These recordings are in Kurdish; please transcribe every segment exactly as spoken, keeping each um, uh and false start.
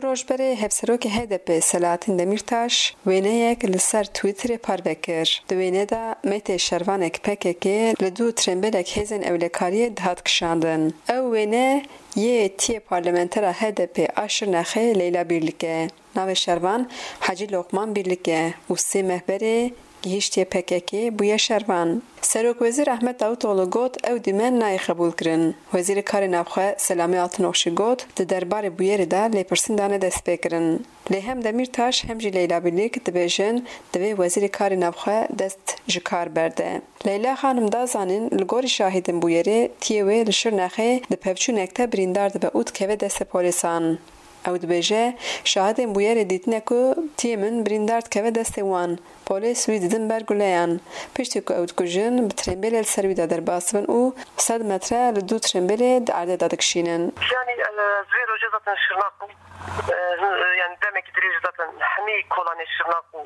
Roj berê Hevserokê H D P Selahattin Demirtaş wêneyek li ser Twitterê parve kir. Di wêne de meytê şervanek P K K li dû trembêlek hêzên ewlekariyê dihat kişandin. Ew wêne yê tiyê parlamentera H D P a Şirnexê Leyla Birlik e. Navê şervan Hecî Lokman Birlik e û sê meh berê gihîştiye P K K, bûye şervan. Serokwezîr Ahmet Davutoğlu got ew dîmen nayê qebûlkirin. Wezîrê Karê Navxwe Selamê Altınok jî got, di derbarê bûyerê de lêpirsîn dane destpêkirin. Lê hem Demîrtaş hem jî Leyla Birlik dibêjin, divê Wezîrê Karê Navxwe dest ji kar berde. Leyla Xanim da zanîn, li gorî şahidên bûyerê tiyê wê li Şirnexê di pevçûnek de birîndar dibe û dikeve destê polîsan. Ew dibêje, şahidên bûyerê dîtine ku tiyê min birîndar dikeve destê wan. Polîs wî didin ber guleyan. Piştî ku ew dikujin, bi trembêlê li ser wî de derbas dibin û sed metre li dû trembêlê di erdê de dikişînin. Yanî, e, ez vê rojê zaten Şirnax bûm. E, yanî demekî dirêj zaten hemî kolanê Şirnax û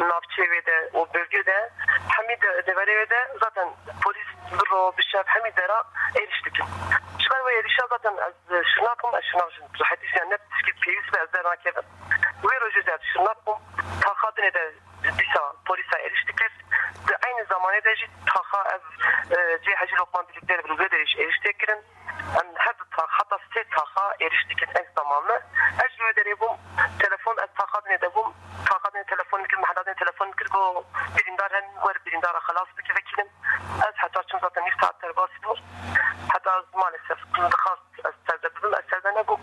navçeyê wê de û bölgê de hemî de, deverê wê de zaten polîs bi ro bi şev hemî dera êrîş dikin. Ji ber wê êrîşa zaten ez Şirnax bûm, ez Şirnax jî rehetî jî ne tişkî pêwîst be ez dernakevim. Wê rojê jî ez Şirnax bûm, taxa dinê de dîsa polîsa êrîş dikir. Di eynî zamanê de jî taxa ev, e, cê Hecî Lokman Birlikler bi wê derê jî êrîş tê kirin. Em her du tax, heta sê taxa êrîş dikin eyn zamanlı. Ez ji wê derê bûm, telefon, ez taxa dinê de bûm. Taxa dinê telefon dikir, mehela dinê telefon dikir, got, birîndar hen, wer birîndara xelas bike vekîlim. Ez heta çim zaten nîv saet derbas bûm. Heta ez maalesef dixwast ez serde bibim, ez serde nebûm.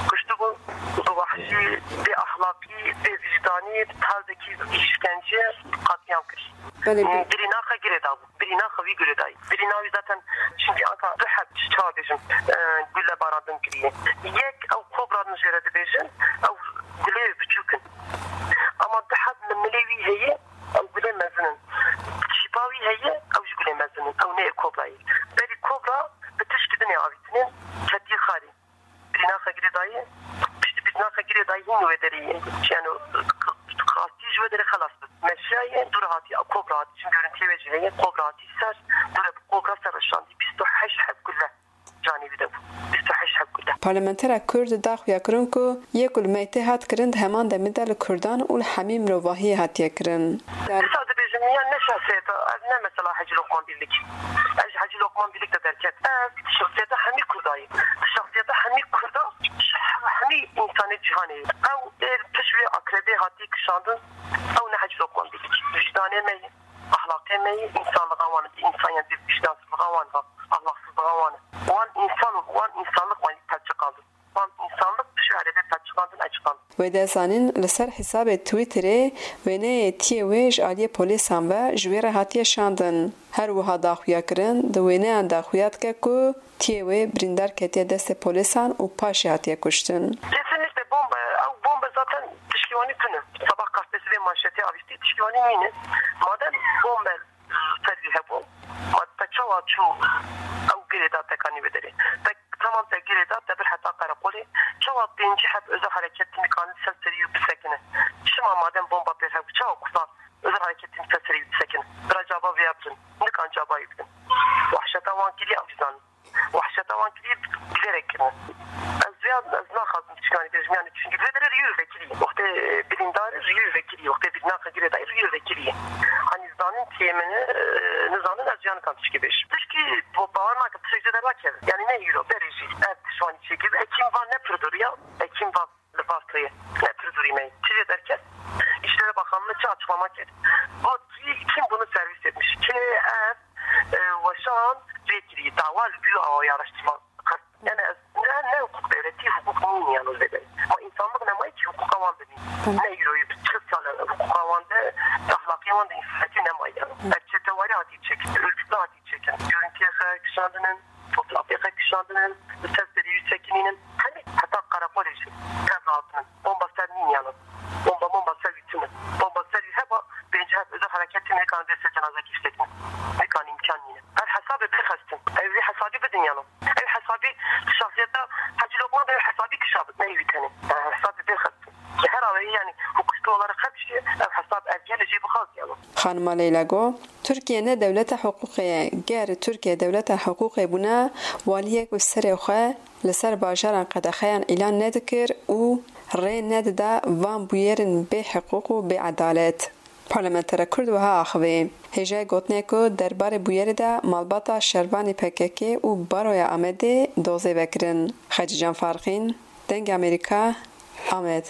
Kuştibûn, bi wahşî, bê ahlakî, bê vicdanî, bi tarzekî îşkence qetlîam kir. Belê, belê. Birînaxa girê dabû. Birînaxa wî girê dayî. Birîna wî zaten, çimkî anka du heb, çawa bêjim, e, gule barandin kiriye. Yek ew kobra din jê re dibêjin, ew gulê biçûk in. Ama du heb li milê wî heye, ew gulê mezin in. Çîpa wî heye, ew jî gulê mezin in. Ew ne yê kobra ye. Berî kobra bi tişkî dinê avîtinên, ketî xarî. Birînaxa girê dayî, piştî birînaxa girê dayî hîn wê derê ye. Yani, qastî ji wê derê xelas bib. Meşiyaye, dû re hatî, kobra hatî. Çim görüntiyê wê jî heye, kobra hatî ser, dû re bi kobra ser reşandî. Bîst û heşt heb gule canê wî de bû. Bîst û heşt heb gule. Parlamentera Kurd daxuya kirin ku yê ku li meytê hat kirin di heman demê de li Kurdan û li hemî mirovahiyê hatiye kirin. Dîsa dibêjim, ya ne şexsiyeta, ev ne mesela Hecî Lokman Birlik. Ez ji Hecî Lokman Birlik de derket. Ev şexsiyeta hemî Kurda ye. Şexsiyeta hemî Kurda, hemî însanê cîhanê ye. Ew ê pişt wê akrebê hatiye kişandin, ew ne Hecî Lokman Birlik. Vicdanê me ye, ahlaqê me ye, însanlixa wan e, însaniyet, vîcdansizlixa wan e, ahlaqsizlixa wan e. Wan însan, wan însanlik wan pevçiqandin. Wan însanlik pişt wê akrebê pevçiqandin, eçiqandin. Wê de zanîn, li ser hesabê Twitterê wêneyê tiyê wê ji aliyê polîsan ve ji wê re hatiye şandin. Her wiha daxuya kirin, di wêneyan de xuya dike ku tiyê wê birîndar ketiye destê polîsan û paşê hatiye kuştin. Kesinlikle bombe, ew bombe zaten tişkî wanî tune. Sabah gazetesi vê manşetê avîtî, tişkî wanî nîne. Madem bombe ser wî hebû, ma te çawa çû ew girê da tekanî wê derê? Te, tamam, te girê da, te bir heta qereqolê. Çawa pêncî heb özel hareketî nikan ser serî wî bisekine? Çima madem bomba pêr hebû, çawa kusa özel hareketî ser serî wî bisekine? Bira caba vêya bidin, nikan caba wî bidin. Wahşeta wan kiriye, ew jî zanin. Wahşeta wan kiriye, bilerek kirine. Ez vêya, ez naxwazim tişkanî bêjim, yani, çünkü vê derê riyû vekirî. Wextê birîndar riyû vekirî, wextê birîndaxa girê dayî riyû vekirî. Hani zanin tiyê min, e, nizanin ez jî nikan tişkî bêjim. Tişkî bo-, bawer nakim, tişek jê dernakeve. Yani ne îro, berê jî ev tişt wanî çêkir. Hekîm va ne pir dûr ya, hekîm va li Vartoyê, ne pir dûrî me. Çi jê derket? İçişleri Bakanlığı çi açıklama kir? Got, kim bunu servis etmiş? Kê ev, e, weşan vê kirî, dawa li bû awa araştırma. Yani ez, ne, ne hukuk devleti, hukuk nîn yani vê derê. Ma insanlık ne mayî ki hukuka wan bibî. Tamam. Ne îroyî bi çil sal e hukuka wan de, ahlakiya wan de, însaniyetî ne mayî yani. Ev çetewarî hatî çekin, örgütlü hatî çekin. Görüntüye xwe kişandinin, fotoğrafê xwe kişandinin, li ser serî wî sekinînin, hemî heta qereqolê jî tev dihatinin. Bomba ser nîn yanin. Bomba, bomba ser wî tune. Bomba ser wî heba, pêncî heb özel hareketî nikan vê ser cenazekî sekin. Nikan îmkan nîne. Ev hesabê bê xestin. Ev vî hesabî bidin yanin. Ev hesabî şahsiyeta Hacı Lokman, ev hesabî kişa bid, ne wî tenê. Ev hesabê bê xestin. Ji her awayî, yani, hukukî olarak her şey, ev hesab ev gelê jê bixwaz yanin. Xanima Leyla got, Tirkiye ne dewleta hiqûqê ye. Ger Tirkiye dewleta hiqûqê bûna, waliyek bi serê xwe li ser bajaran qedexeyan îlan nedikir û rê nedida van bûyerên bê hiqûq û bê edalet. Parlamentera Kurd wiha axivî, hêjayî gotinê ku derbarê bûyerê de malbata şervanê P K K û Baroya Amedê dozê vekirin. Xecîcan Farqîn, Dengê Amerîka, Amed.